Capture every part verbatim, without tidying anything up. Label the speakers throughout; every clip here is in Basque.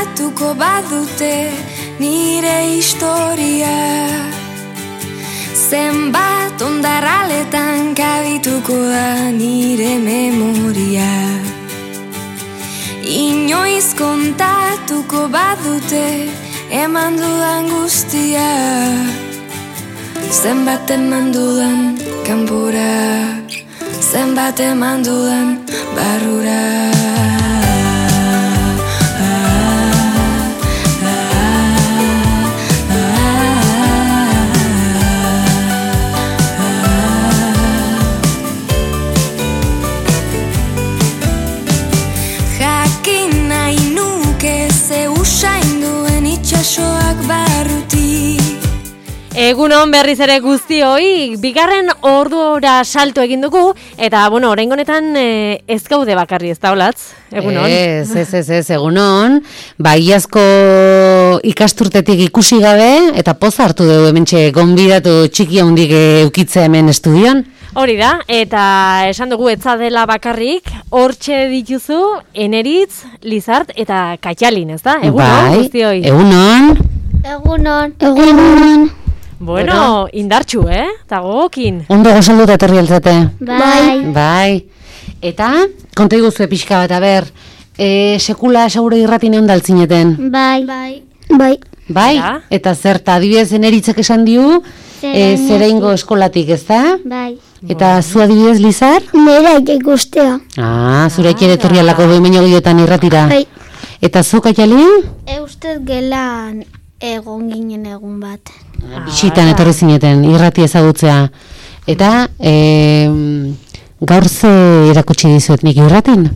Speaker 1: kontatuko badute nire historia. Zenbat ondarraletan kabituko da nire memoria. Inoiz kontatuko badute eman dudan guztia. Zenbat eman dudan kanpora, zenbat eman dudan barrura. Jakin nahi nuke ze usain duen itxasoak barruti.
Speaker 2: Egunon berriz ere guztioi, bigarren ordura salto egin dugu, eta, bueno, oraingo honetan e, ez gaude bakarri, ez da, Olatz? Egunon.
Speaker 3: Ez, ez, ez, ez, egunon. Ba, iazko ikasturtetik ikusi gabe, eta poza hartu dugu hementxe gonbidatu txiki handik eukitzea hemen estudion.
Speaker 2: Hori da, eta esan dugu etza dela bakarrik, hortxe dituzu, Eneritz, Lizart eta Kaitxalin, ez da? Egunon,
Speaker 3: bai,
Speaker 2: guztioi.
Speaker 3: Egunon.
Speaker 4: Egunon. Egunon.
Speaker 2: Bueno, indartxu, eh? Eta gogokin.
Speaker 3: Ondo gozaldu eta etorri altzate.
Speaker 4: Bai.
Speaker 3: Bai. Eta, konta iguzue pixka bat, aber, e, sekula segure irratin egon daltzineten.
Speaker 4: Bai. Bai. Bai.
Speaker 3: Bai,
Speaker 2: Ja.
Speaker 3: eta zerta, adibidez Eneritzek esan diu, e, zereingo eskolatik, ez da?
Speaker 4: Bai.
Speaker 3: Eta zu adibidez, Lizar?
Speaker 4: Nera ikustea.
Speaker 3: Ah, zure ere etorri alako behin gehiotan irratira.
Speaker 4: Bai.
Speaker 3: Eta zu, Kaitxalin?
Speaker 4: Eustez gelan egon ginen egun bat.
Speaker 3: Bisitan etorri zineten, irrati ezagutzea. Eta, e, gaur ze erakutsi dizuet nik irratin?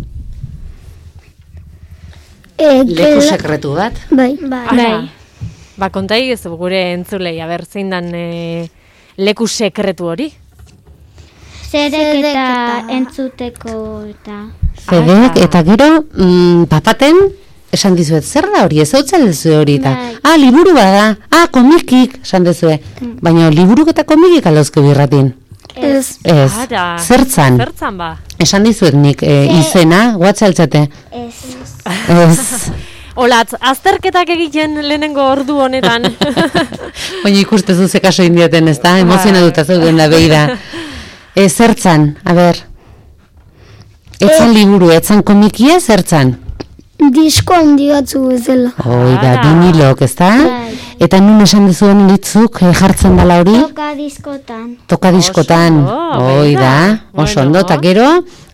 Speaker 4: E,
Speaker 3: Leku sekretu bat.
Speaker 4: Bai. Bai.
Speaker 2: Ara. Ba, kontai ez gure entzulei, aber zein dan e, leku sekretu hori?
Speaker 4: Zerek eta entzuteko eta...
Speaker 3: Zedek, eta gero, mm, papaten, esan dizuet, zer da hori, ez hau txaldezu hori, eta,
Speaker 4: Bai.
Speaker 3: ah, liburu bada, ah, komikik, esan dezue, baina liburuk eta komikik alauzke birratin.
Speaker 4: Ez.
Speaker 3: Ez,
Speaker 2: Ara.
Speaker 3: zertzan,
Speaker 2: Zertzan ba?
Speaker 3: esan dizuet nik, e, izena, guatxaltzate.
Speaker 4: Ez.
Speaker 3: Ez,
Speaker 2: Olatz, azterketak egiten lehenengo ordu honetan.
Speaker 3: baina ikustezu ze kaso indiaten, ez da, emozionatuta zeuden da beira. E, zertzan, a ber, etzan liburu, etzan komikia, zertzan?
Speaker 4: Disko handi batzu bezala.
Speaker 3: Hoi da,
Speaker 2: Ara.
Speaker 3: vinilok, ez da?
Speaker 4: Bai.
Speaker 3: Eta nun esan dizuen litzuk eh, jartzen dala hori?
Speaker 4: Toka diskotan.
Speaker 3: Toka diskotan.
Speaker 2: ondo,
Speaker 3: Hoi
Speaker 2: begira.
Speaker 3: da, oso
Speaker 2: Bueno.
Speaker 3: ondo. Eta gero,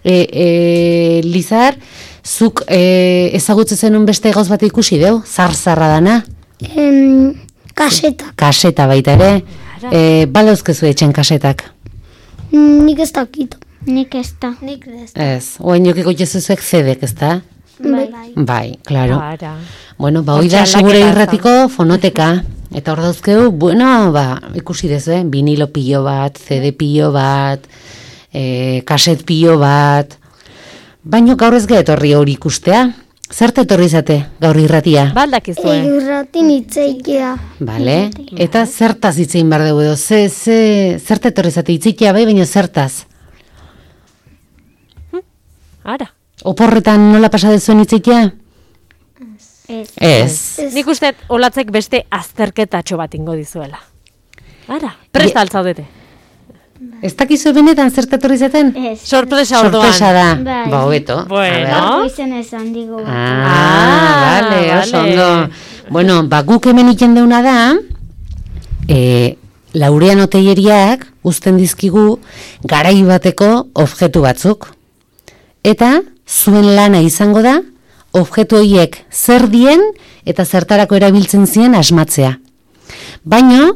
Speaker 3: e, e, Lizar, zuk e, ezagutzen zenun beste gauz bat ikusi deu? Zar-zarra dana?
Speaker 4: Em, kaseta.
Speaker 3: Kaseta baita ere. E, balauzkezu etxen kasetak.
Speaker 4: Nik ez dakit. Nik ez da. Nik ez da.
Speaker 3: Ez, oen jokiko jezuzuek zedek, ez da?
Speaker 4: Bai.
Speaker 3: Bai, klaro.
Speaker 2: Ara.
Speaker 3: Bueno, ba, hoi
Speaker 2: Hortxe
Speaker 3: da,
Speaker 2: aldaketa
Speaker 3: segure
Speaker 2: ez da.
Speaker 3: irratiko fonoteka. Eta hor dauzkeu, bueno, ba, ikusi dezu, eh? Vinilo pilo bat, C D pilo bat, e, kaset pilo bat. Baino gaur ez etorri hori ikustea. Zerte etorri zate gaur irratia?
Speaker 2: Baldakizue.
Speaker 4: Irratin itzeikia.
Speaker 3: Bale? Eta zertaz hitzein behar dugu edo? Ze, ze, zerte etorri zate itzeikia bai, baina zertaz?
Speaker 2: Ara.
Speaker 3: Oporretan nola pasa dezuen itzeikia?
Speaker 4: Ez.
Speaker 3: Ez.
Speaker 2: Nik uste Olatzek beste azterketatxo bat ingo dizuela. Ara, presta altzaudete.
Speaker 3: Ez dakizu benetan zerte etorri zaten?
Speaker 4: Ez.
Speaker 2: Sorpresa orduan.
Speaker 3: Sorpresa da.
Speaker 4: Bai.
Speaker 3: Ba, hobeto.
Speaker 2: Bueno.
Speaker 3: A ber.
Speaker 4: Izen esan digo.
Speaker 3: Ah,
Speaker 2: Ah,
Speaker 3: vale, oso
Speaker 2: vale.
Speaker 3: ondo. Bueno, ba, guk hemen iten deuna da, e, Laureano Telleriak uzten dizkigu garai bateko objektu batzuk. Eta zuen lana izango da, objektu horiek zer dien eta zertarako erabiltzen zien asmatzea. Baina,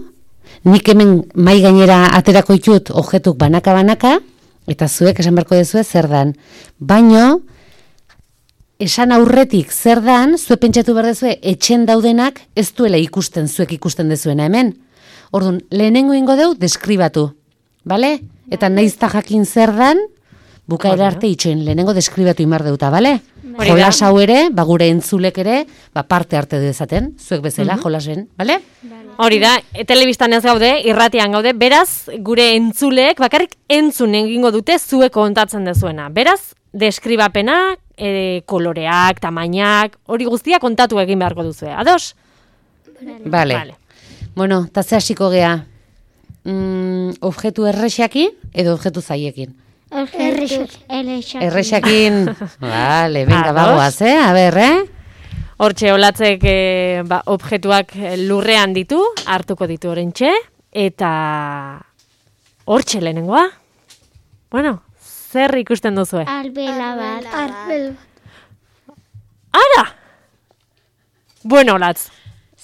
Speaker 3: nik hemen mai gainera aterako ditut objektuk banaka-banaka, eta zuek esan beharko dezue zer dan. Baina, esan aurretik zer dan, zuek pentsatu behar dezue, etxen daudenak ez duela ikusten, zuek ikusten dezuena hemen. Orduan, lehenengo ingo deu, deskribatu. Bale? Eta naizta jakin zer dan, bukaera arte itxoin, lehenengo deskribatu imar deuta, bale?
Speaker 2: Hori da.
Speaker 3: Jolas hau ere, ba, gure entzulek ere, ba, parte arte dezaten, zuek bezala, jolasen, bale?
Speaker 2: Hori da, e, telebistan ez gaude, irratian gaude, beraz, gure entzuleek bakarrik entzun egingo dute zuek kontatzen dezuena. Beraz, deskribapena e, koloreak, tamainak, hori guztia kontatu egin beharko duzue. Ados?
Speaker 3: Vale.
Speaker 2: Vale.
Speaker 3: Bueno, eta ze hasiko gea? Mm, objektu errexakin edo objektu zaiekin?
Speaker 4: Errexakin.
Speaker 3: Errexakin. Vale, venga,
Speaker 2: Ados.
Speaker 3: bagoaz, eh? A ber, eh?
Speaker 2: Hortxe, olatzek e, ba, objektuak lurrean ditu, hartuko ditu orentxe, eta hortxe lehenengoa. Bueno, zer ikusten duzue?
Speaker 4: Arbela bat. Arbel bat.
Speaker 2: Ara! Bueno, olatz,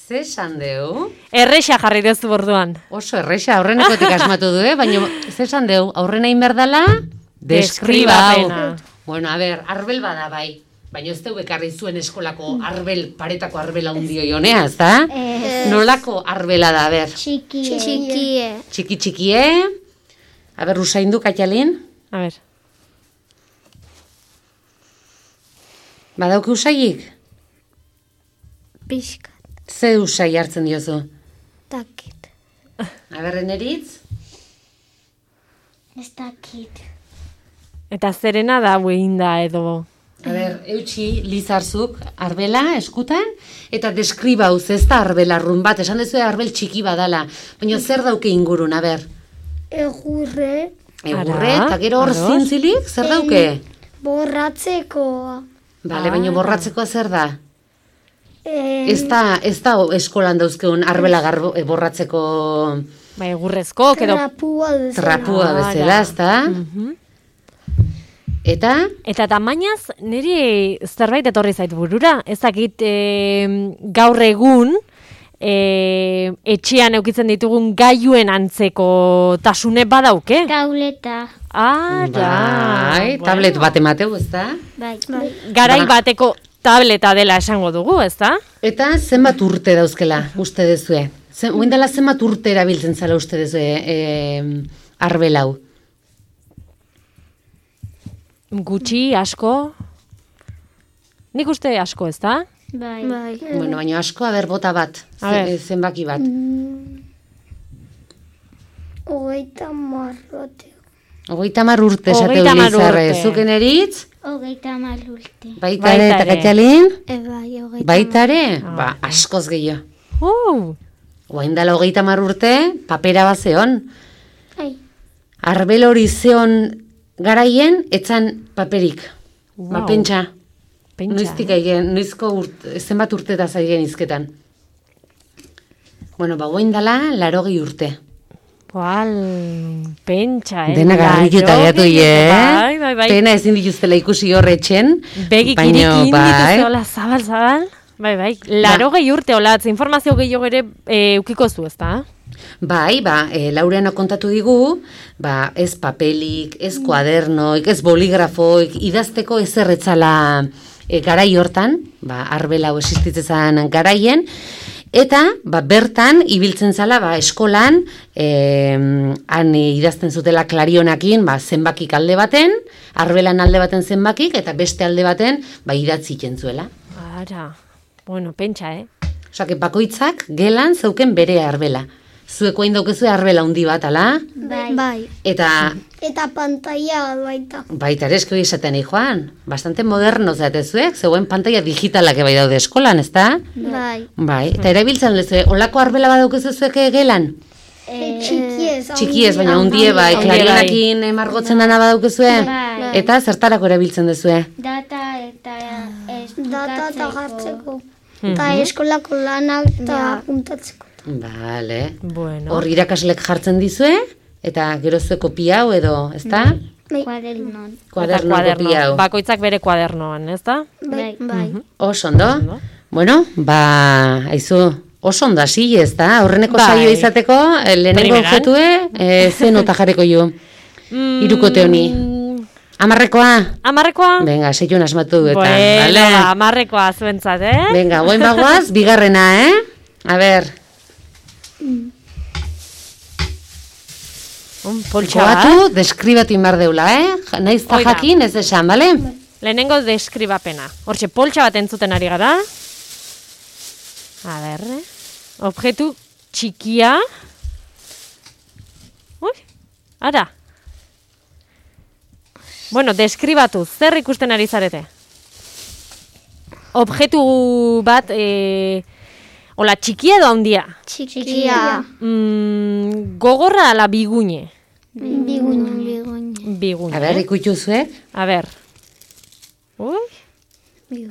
Speaker 3: Ze esan deu?
Speaker 2: errexa jarri duzu borduan.
Speaker 3: Oso errexa, aurrenekotik asmatu du, eh? Baina, ze esan deu? Aurrena inberdala? Deskriba hau.
Speaker 2: Deskribapena.
Speaker 3: Bueno, a ber, arbel bada bai. Baina ez deu ekarri zuen eskolako arbel, paretako arbela hundio jonea, ez da? Nolako arbela da, a ber?
Speaker 4: Txikie. Txikie.
Speaker 3: Txiki txikie. A ber, usaindu, Katialin?
Speaker 2: A ber,
Speaker 3: Badauki usaiik?
Speaker 4: Pixkat.
Speaker 3: Ze usai hartzen diozu?
Speaker 4: Dakit.
Speaker 3: A ber, eneritz?
Speaker 4: Ez dakit.
Speaker 2: eta zerena da da edo...
Speaker 3: A ber, eutxi, lizarzuk, arbela, eskutan, eta deskribauz, ez da arbela arrun bat, esan dezu arbel txiki badala, baina zer dauke ingurun, a ber?
Speaker 4: Egurre.
Speaker 3: Egurre,
Speaker 2: Ara,
Speaker 3: eta gero hor
Speaker 2: ados.
Speaker 3: zintzilik, zer dauke?
Speaker 4: Borratzekoa.
Speaker 3: Bale, baina borratzekoa zer da?
Speaker 4: Eh,
Speaker 3: Ez da, ez da eskolan dauzkeun arbela garbo, e, borratzeko
Speaker 2: Bai, egurrezko, edo...
Speaker 4: Trapua bezala.
Speaker 3: trapua
Speaker 2: Ara.
Speaker 3: bezala, ez da?
Speaker 2: Mhm.
Speaker 3: Eta,
Speaker 2: Eta tamainaz, niri zerbait etorri zait burura. Ez dakit e, gaur egun e, etxean eukitzen ditugun gailuen antzeko tasune badauke.
Speaker 4: Tauleta.
Speaker 2: Ara,
Speaker 3: bai, tablet bat emateu, ez da?
Speaker 4: Bai. Bai.
Speaker 2: Garai
Speaker 3: Ba-
Speaker 2: bateko tableta dela esango dugu, ez da?
Speaker 3: Eta zenbat urte dauzkela, uste dezue? Zen, oin dela zenbat urte erabiltzen zala uste dezue e, arbelau?
Speaker 2: Gutxi, asko... Nik uste asko, ez da?
Speaker 4: Bai. Bai.
Speaker 3: Bueno, baina asko, aber, bota bat,
Speaker 2: A ber.
Speaker 3: ze, zenbaki bat.
Speaker 4: Hogeita marrote.
Speaker 3: Hogeita mar urte esateu
Speaker 2: Hogeita hamar
Speaker 3: Lizarre,
Speaker 2: urte.
Speaker 3: zuken eritz,
Speaker 4: Hogeita mar urte.
Speaker 3: baita ere eta
Speaker 2: Baita ere.
Speaker 3: Katialin,
Speaker 4: E bai, hogeita
Speaker 3: baita ere,
Speaker 2: Ah,
Speaker 3: ba, askoz gehiago.
Speaker 2: Uh,
Speaker 3: Oain dela hogeita mar urte, papera bat zeon.
Speaker 4: Ai.
Speaker 3: Arbel hori zeon garaien, etzan paperik. Ba,
Speaker 2: Wow.
Speaker 3: pentsa,
Speaker 2: pentsa,
Speaker 3: noiztik
Speaker 2: eh?
Speaker 3: aigen, noizko urte, zenbat urte da zaigen izketan. Bueno, ba, oain dela, larogei urte.
Speaker 2: Boal, pentsa, eh?
Speaker 3: Dena garritu eta
Speaker 2: Larogei
Speaker 3: gatu,
Speaker 2: urte,
Speaker 3: eh?
Speaker 2: Bai, bai, bai.
Speaker 3: Pena ezin dituztela ikusi horretxen.
Speaker 2: Begik irikin dituzte hola zabal, zabal. Bai, bai. Laro gehi urte holatz, informazio gehiago ere e, ukiko zu, ez da?
Speaker 3: Bai, ba, e, Laureano kontatu digu, ba, ez papelik, ez kuadernoik, ez boligrafoik, idazteko ez erretzala e, garai hortan, ba, arbela hau existitzen garaien, eta ba, bertan ibiltzen zala ba, eskolan, e, han idazten zutela klarionakin ba, zenbakik alde baten, arbelan alde baten zenbakik, eta beste alde baten ba, idatzi zuela.
Speaker 2: Ara, bueno, pentsa, eh?
Speaker 3: Osa, que bakoitzak gelan zeuken bere arbela. Zueko hain daukezue arbela handi bat, ala?
Speaker 4: Bai. Bai.
Speaker 3: Eta
Speaker 4: Eta pantalla baita.
Speaker 3: baita ere esko izaten nahi joan. Bastante moderno zatezuek, zegoen pantalla digitalak bai daude eskolan, ezta?
Speaker 4: Bai.
Speaker 3: Bai, eta erabiltzen lezue, olako arbela badaukezu zueke gelan?
Speaker 4: E, txikiez.
Speaker 3: Txikiez, baina hundie bai,
Speaker 2: Handie bai.
Speaker 3: klarionakin emargotzen dana badaukezue?
Speaker 4: Bai.
Speaker 3: Eta zertarako erabiltzen dezue?
Speaker 4: Data eta data eta jartzeko. Eta eskolako lanak eta puntatzeko.
Speaker 3: Vale.
Speaker 2: Bueno.
Speaker 3: Hor irakaslek jartzen dizue, eta gero zue kopia hau edo, ezta?
Speaker 4: Kuadernon.
Speaker 3: Kuaderno
Speaker 2: Eta
Speaker 3: kopia hau.
Speaker 2: Bakoitzak bere kuadernoan, ez da?
Speaker 4: Bai. Bai.
Speaker 3: Oso ondo. Bueno, ba, aizu, oso ondo hasi, ez da? Aurreneko
Speaker 2: Bai.
Speaker 3: saio izateko, eh, lehenengo
Speaker 2: Primeran.
Speaker 3: objetue, e, ze nota jarriko ju?
Speaker 2: Mm,
Speaker 3: Hirukote honi. Amarrekoa?
Speaker 2: Amarrekoa?
Speaker 3: Venga, seion asmatu du eta,
Speaker 2: Bueno,
Speaker 3: vale?
Speaker 2: ba, amarrekoa zuentzat, eh?
Speaker 3: Venga, goen bagoaz, bigarrena, eh? A ber,
Speaker 2: Un poltsa bat.
Speaker 3: goatu, deskribatu inbar deula, eh? Ja- Naiz ta
Speaker 2: Hoi da.
Speaker 3: jakin, ez esan, bale?
Speaker 2: Lehenengo deskribapena. Hortxe, poltsa bat entzuten ari gara. A ber, eh? Objektu txikia. Ui, ara. Bueno, deskribatu, zer ikusten ari zarete? objektu bat, e, hola, txikia edo handia?
Speaker 4: Txikia.
Speaker 2: Mm, gogorra ala bigune?
Speaker 4: Biguña. Biguña.
Speaker 2: Bigune.
Speaker 3: A ber, ikutu zuek?
Speaker 2: A ber. Ui.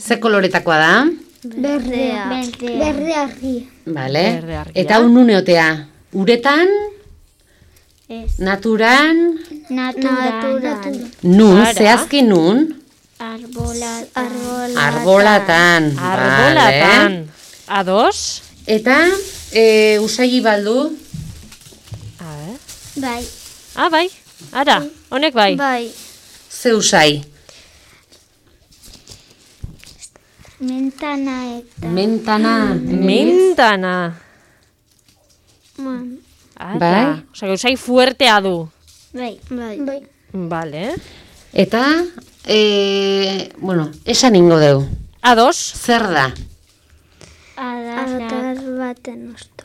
Speaker 3: Ze koloretakoa da?
Speaker 4: Berdea. Berde argia.
Speaker 3: Vale.
Speaker 2: Berde argia.
Speaker 3: Eta un nune uretan,
Speaker 4: Ez.
Speaker 3: naturan,
Speaker 4: Naturan.
Speaker 3: nun,
Speaker 2: Ara.
Speaker 3: zehazki nun,
Speaker 4: Arbolatan.
Speaker 3: arbolatan.
Speaker 2: Arbolatan.
Speaker 3: Vale.
Speaker 2: Ados?
Speaker 3: Eta e, usai baldu,
Speaker 2: A ber.
Speaker 4: Bai.
Speaker 2: Ah, bai. Ara, honek bai.
Speaker 4: Bai.
Speaker 3: ze usai?
Speaker 4: Mentana eta.
Speaker 3: Mentana.
Speaker 2: Mentana.
Speaker 4: Man.
Speaker 2: Ara.
Speaker 3: Bai.
Speaker 2: Osa, gauzai fuertea du.
Speaker 4: Bai. Bai. Bai.
Speaker 2: Vale.
Speaker 3: Eta, e, bueno, esan ingo deu.
Speaker 2: Ados?
Speaker 3: Zer da?
Speaker 4: Adar baten osto.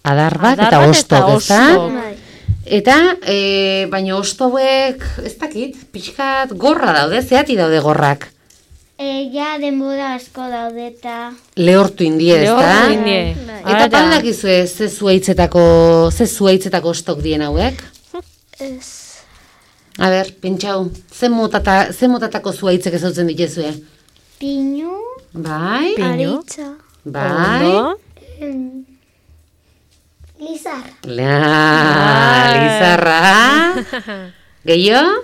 Speaker 3: Adar bat
Speaker 2: Adar
Speaker 3: eta
Speaker 2: bat
Speaker 3: ostok,
Speaker 2: eta
Speaker 3: ezta?
Speaker 2: ostok.
Speaker 4: Bai.
Speaker 3: Eta, e, baina ostobuek, ez dakit, pixkat gorra daude, zeati daude gorrak.
Speaker 4: E, ja denbora asko daude eta.
Speaker 3: Lehortu indie, ezta?
Speaker 2: Lehortu indie.
Speaker 4: Bai.
Speaker 3: Eta
Speaker 2: Ara.
Speaker 3: pandakizue, ze zuaitzetako, ze zuaitzetako ostok dien hauek?
Speaker 4: Ez.
Speaker 3: A ber, pentsau, ze, motata, ze motatako zuaitzek ezautzen dituzue?
Speaker 4: Pinu.
Speaker 3: Bai,
Speaker 2: Pinu.
Speaker 4: Aritza.
Speaker 3: bai.
Speaker 2: Ondo.
Speaker 4: Lizar.
Speaker 3: La,
Speaker 2: Bai.
Speaker 3: lizarra. Gehiago?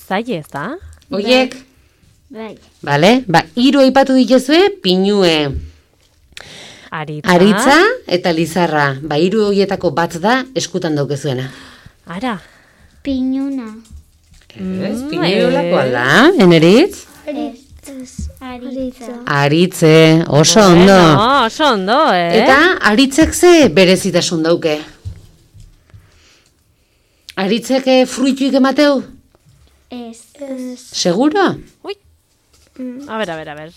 Speaker 2: Zaila ez da?
Speaker 3: Oiek?
Speaker 4: Bai.
Speaker 3: Bale, ba, hiru aipatu dituzue, pinue.
Speaker 2: Aritza.
Speaker 3: Aritza eta lizarra. Ba, hiru horietako bat da eskutan daukezuena.
Speaker 2: Ara.
Speaker 4: Pinuna.
Speaker 3: Ez,
Speaker 2: Mm,
Speaker 3: pinue olakoa
Speaker 2: eh.
Speaker 3: da, eneritz?
Speaker 4: Ez. Aritza.
Speaker 3: Aritze, oso ondo.
Speaker 2: Bueno, oso ondo, eh?
Speaker 3: Eta aritzek ze berezitasun dauke? Aritzek eh, fruituik emateu?
Speaker 4: Ez. Ez.
Speaker 3: Seguro?
Speaker 2: Ui. A ber, a ber, a ber.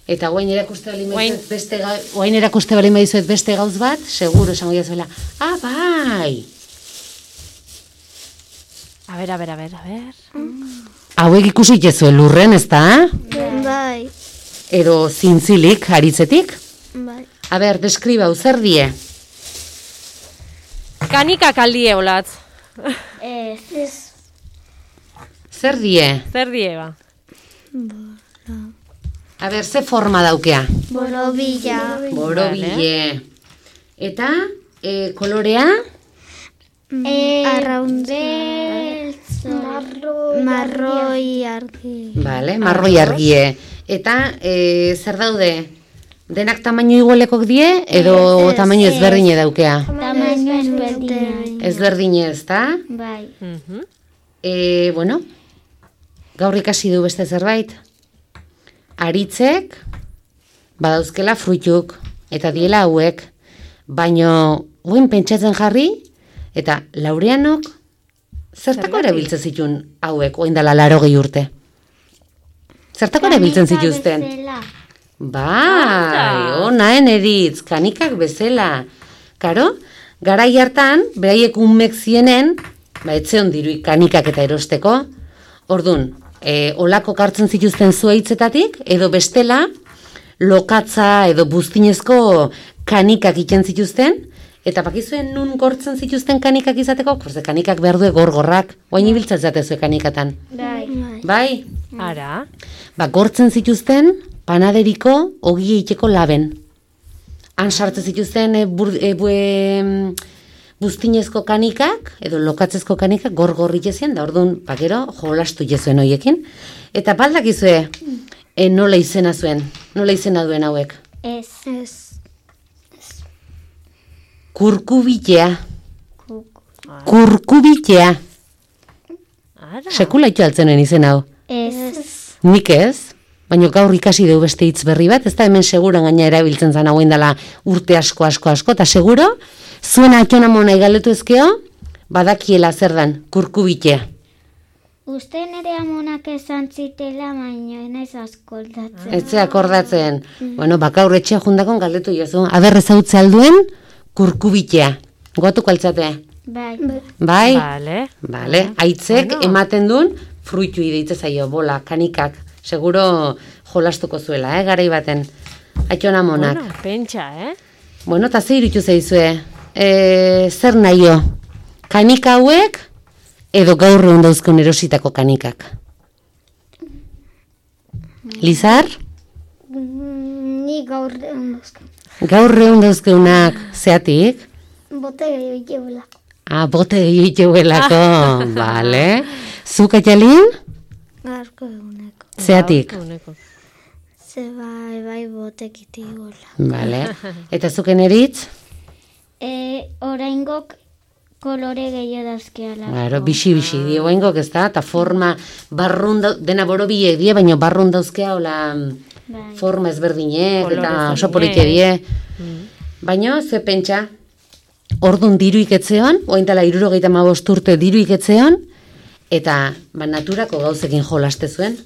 Speaker 3: Eta guain erakuste bali
Speaker 2: Guain.
Speaker 3: maizuet beste ga, guain erakuste bali maizuet beste gauz bat, seguro esango jazuela. Ah, bai.
Speaker 2: A ber, a ber, a ber, a ber.
Speaker 3: Hauek ikusi jezue lurren, ezta?
Speaker 4: Bai.
Speaker 3: Edo zintzilik, aritzetik?
Speaker 4: Bai.
Speaker 3: A ber, deskribau, zer die?
Speaker 2: Kanikak aldie olatz.
Speaker 4: Ez. Ez.
Speaker 3: Zer die?
Speaker 2: Zer die, ba?
Speaker 3: A ber, ze forma daukea?
Speaker 4: Borobila.
Speaker 3: Borobile. Eta, e, kolorea?
Speaker 4: E, Arraundeltz. Marroi. Marroi argi.
Speaker 3: Vale, marroi argie. Eta, e, zer daude? Denak tamaino igualekok die, edo
Speaker 4: Ez,
Speaker 3: tamaino
Speaker 4: ez.
Speaker 3: ezberdine daukea?
Speaker 4: Tamaino ezberdina.
Speaker 3: Ezberdine, ezta?
Speaker 4: Bai.
Speaker 2: Mhm.
Speaker 3: E, bueno, gaur ikasi du beste zerbait. Aritzek, badauzkela fruituk, eta diela hauek, baino, guen pentsatzen jarri, eta Laureanok, zertako
Speaker 2: Zergatik?
Speaker 3: erabiltzen zituen hauek, oin dela larogei urte? Zertako erabiltzen zituzten?
Speaker 4: Bezala.
Speaker 3: Bai,
Speaker 2: Anda.
Speaker 3: onaen editz, kanikak bezala. Karo, garai hartan, beraiek unmek zienen, ba, etzeon diruik kanikak eta erosteko, ordun, e, olako kartzen zituzten zuaitzetatik, edo bestela, lokatza edo buztinezko kanikak iten zituzten, eta bakizuen nun gortzen zituzten kanikak izateko, korze kanikak behar du gorgorrak, oain ibiltzen zatezue kanikatan.
Speaker 4: Bai.
Speaker 3: Bai?
Speaker 2: Ara.
Speaker 3: Ba, gortzen zituzten panaderiko ogi egiteko laben. Han sartzen zituzten e, bur, e, bue, em, buztinezko kanikak, edo lokatzezko kanikak gor-gorri jezien, da orduan, pakero, jolastu jezuen hoiekin. Eta baldakizue, e, nola izena zuen, nola izena duen hauek.
Speaker 4: Ez. Ez.
Speaker 3: Kurkubitea. Kurkubitea.
Speaker 2: Ara.
Speaker 3: Sekula itxo altzenen izen hau.
Speaker 4: Ez.
Speaker 3: Nik ez, baina gaur ikasi dugu beste hitz berri bat, ez da hemen seguran gaina erabiltzen zan hauen dela urte asko, asko, asko, eta seguro, zuen atxona mona igaletu ezkeo, badakiela zer dan, kurkubitea.
Speaker 4: Uste nire amonak esan zitela, baina naiz askoldatzen.
Speaker 3: Ez akordatzen, bueno, bakaur etxea jundakon galdetu jozu, aber ezautze alduen, kurkubitea. Goatuko altzate.
Speaker 4: Bai.
Speaker 3: Bai?
Speaker 2: Vale.
Speaker 3: Vale, aitzek
Speaker 2: Bueno.
Speaker 3: ematen duen fruitu ideitze zaio, bola, kanikak. Seguro jolastuko zuela, eh, garai baten. Aitona monak.
Speaker 2: Bueno, pentsa, eh?
Speaker 3: Bueno, eta ze irutu zaizue? E, zer nahio? Kanika hauek edo gaur egun dauzkun erositako kanikak? Lizar?
Speaker 4: Mm, Ni gaur ondozko.
Speaker 3: Gaur egun dauzkeunak zeatik?
Speaker 4: Bote gehiago jebelako.
Speaker 3: Ah, bote egiteuelako, vale. Zuk Aitalin?
Speaker 4: Gaurko eguneko.
Speaker 3: Zeatik?
Speaker 2: Uneko.
Speaker 4: Ze bai, bai botek itigola.
Speaker 3: Vale. Eta zuken eritz?
Speaker 4: E, oraingok kolore gehiago dazkeala.
Speaker 3: Claro, bixi-bixi dio oengok, ez da? Eta forma, barrun da, dena borobiek die, baina barrun dauzkea, hola,
Speaker 4: Bai.
Speaker 3: forma ezberdinek,
Speaker 2: Kolore
Speaker 3: eta oso
Speaker 2: ezberdinek.
Speaker 3: polite die. Baina, ze pentsa, ordun diru iketzeon, ointala irurogeita hamabost urte diru iketzeon, eta ba, naturako gauzekin jolaste zuen.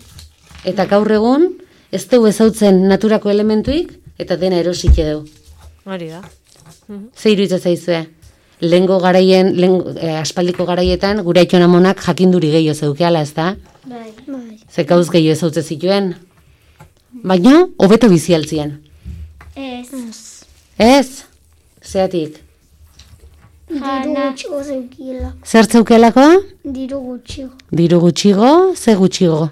Speaker 3: Eta gaur egun, ez dugu ezautzen naturako elementuik, eta dena erosik edo.
Speaker 2: Hori da.
Speaker 3: Ze iruditzen zaizue? Lehengo garaien, lehen, eh, aspaldiko garaietan, gure aitona monak jakinduri gehiago zeukeala, ez da?
Speaker 4: Bai. Bai.
Speaker 3: Ze gauz gehiago ezautze zituen. Baina, hobeto bizi altzien.
Speaker 4: Ez.
Speaker 3: Ez? Zeatik?
Speaker 4: Diru gutxigo zeukiela.
Speaker 3: Zer zeukelako?
Speaker 4: Diru gutxigo.
Speaker 3: Diru gutxigo, ze gutxigo?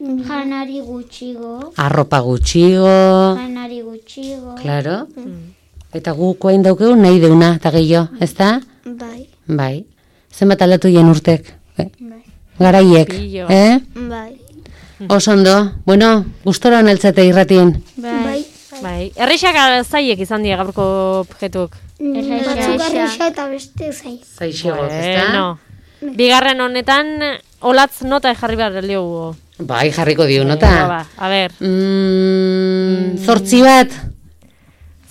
Speaker 4: Janari gutxigo.
Speaker 3: Arropa gutxigo,
Speaker 4: Janari gutxigo.
Speaker 3: claro. Eta guk oain daukegu nahi deuna, eta gehiago, ez da?
Speaker 4: Bai.
Speaker 3: Bai. Zenbat aldatu jen urtek? Eh?
Speaker 4: Bai.
Speaker 3: Garaiek,
Speaker 2: Pilo.
Speaker 3: eh?
Speaker 4: Bai.
Speaker 3: Oso ondo. Bueno, gustora honeltzate irratien.
Speaker 4: Bai.
Speaker 2: Bai. Errexak zaiek izan dira gaurko objetuk.
Speaker 4: Erraixa. Batzuk arraixa eta beste zai.
Speaker 3: Zaixegoz, ez da?
Speaker 2: Bueno. Bigarren honetan, olatz nota jarri behar diogu.
Speaker 3: Bai, jarriko dio
Speaker 2: Venga,
Speaker 3: nota.
Speaker 2: ba, a ber.
Speaker 3: Mm, zortzi bat,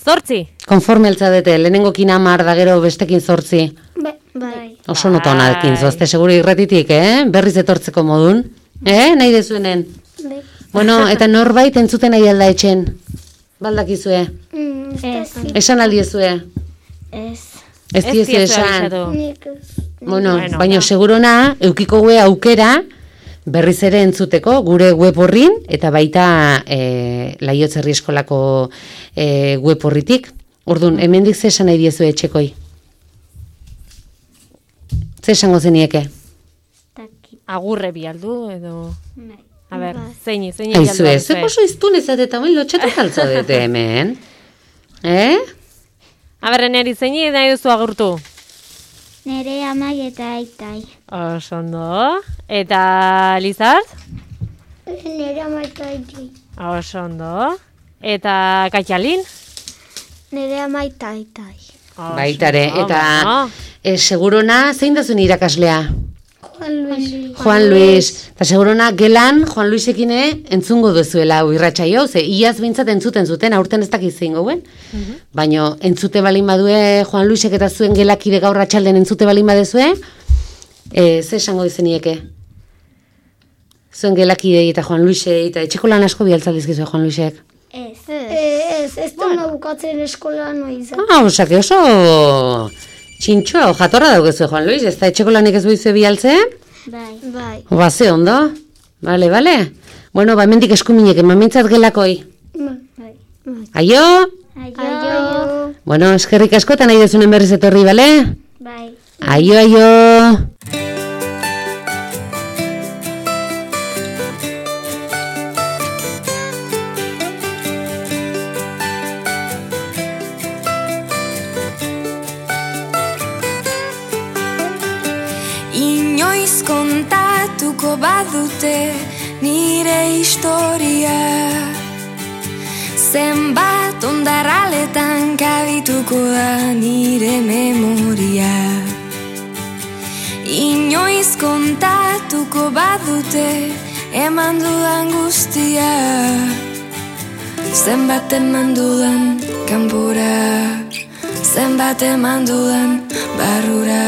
Speaker 2: Zortzi.
Speaker 3: konforme altzadete, lehenengokin amar da gero bestekin zortzi.
Speaker 4: Bai. Bai.
Speaker 3: Oso nota honakin, zozte seguru irratitik, eh? Berriz etortzeko modun. Eh? Nahi dezuenen.
Speaker 4: Bai.
Speaker 3: Bueno, eta norbait entzuten nahi alda etxen. Baldakizue.
Speaker 4: Mm, Ez.
Speaker 3: Esan aldiezue.
Speaker 4: Ez.
Speaker 3: Ez
Speaker 2: Ez
Speaker 3: diezu
Speaker 2: diezu
Speaker 3: esan.
Speaker 2: abisatu.
Speaker 4: Nik ez.
Speaker 3: Bueno,
Speaker 2: Bueno.
Speaker 3: baina segurona, eukiko gue aukera, berriz ere entzuteko, gure web horrin, eta baita e, Laiotzerri eskolako e, web horritik. Orduan, hemendik ze esan nahi diezu etxekoi? Ze esango zenieke?
Speaker 4: Taki.
Speaker 2: Agurre bialdu edo...
Speaker 4: Bai.
Speaker 2: A ber,
Speaker 4: Bai.
Speaker 2: zeini, zeini bialdu.
Speaker 3: Aizu ez, zuek oso iztun ezat eta bain lotxatu kaltzadete hemen. Eh?
Speaker 2: A ber, neri zeini nahi duzu agurtu.
Speaker 4: Nere amai eta aitai.
Speaker 2: Oso ondo. Eta Lizard?
Speaker 4: Nere amai eta aitai.
Speaker 2: Oso ondo. Eta Kaitalin?
Speaker 4: Nere amai eta aitai.
Speaker 2: Oso
Speaker 3: Baitare,
Speaker 2: ondo,
Speaker 3: eta
Speaker 2: bueno.
Speaker 3: e, segurona, zein da zuen irakaslea?
Speaker 4: Juan Luis.
Speaker 3: Juan Luis, eta segurona gelan Juan Luisekine entzungo duzuela hau irratsaio, ze iaz bintzat entzuten zuten, aurten ez dakiz zein gauen. Baina entzute balin badue Juan Luisek eta zuen gelakide gaur atxalden entzute balin badezue, e, ze esango izenieke? Zuen gelakidei eta Juan Luisei, eta etxeko lan asko bialtzaldizkizue Juan Luisek.
Speaker 4: Ez. Ez, ez da bukatzen eskola noa izan.
Speaker 3: Ah, osake oso txintxoa, jatorra daukezue Juan Luis, ez da etxeko lanik ez boizue bialtzen?
Speaker 4: Bai. Bai.
Speaker 3: Ba, ze ondo. Bale, bale. Bueno, ba, mendik eskuminek, emamintzat gelakoi.
Speaker 4: Bai.
Speaker 3: Aio!
Speaker 4: Aio.
Speaker 3: Bueno, eskerrik asko eta nahi dezunen berriz etorri, bale?
Speaker 4: Bai.
Speaker 3: Aio, aio!
Speaker 1: Inoiz kontatuko badute nire historia, zenbat ondarraletan kabituko da nire memoria. Inoiz kontatuko badute eman dudan guztia, zenbat eman dudan kanpora, zenbat eman dudan barrura.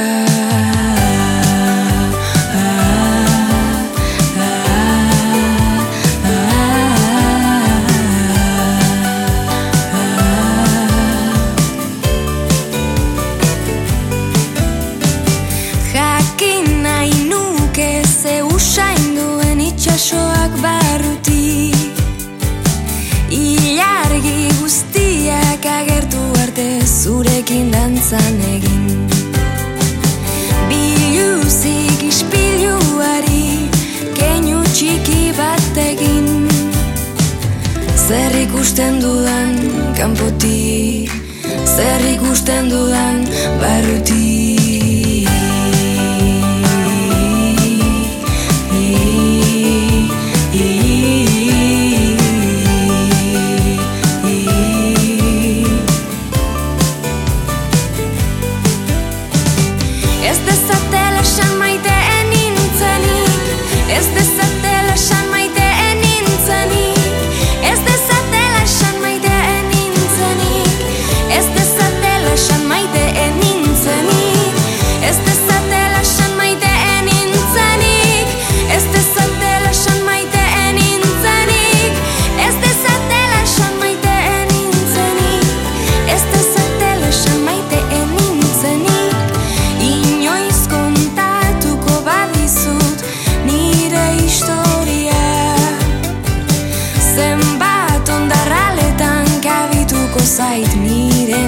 Speaker 1: dantzan egin. Biluzik ispiluari keinu txiki bat egin. Zer ikusten dudan kanpotik, zer ikusten dudan barrutik. Ez dezatela esan maiteen nintzenik, ez dezatela esan maiteen nintzenik, ez dezatela esan maiteen nintzenik, ez dezatela esan maiteen nintzenik, ez dezatela esan maiteen nintzenik, ez dezatela esan maiteen nintzenik, ez dezatela esan maiteen nintzenik, ez dezatela esan maiteen nintzenik. Inoiz kontatuko badizut nire historia, zenbat ondarraletan kabituko zait nire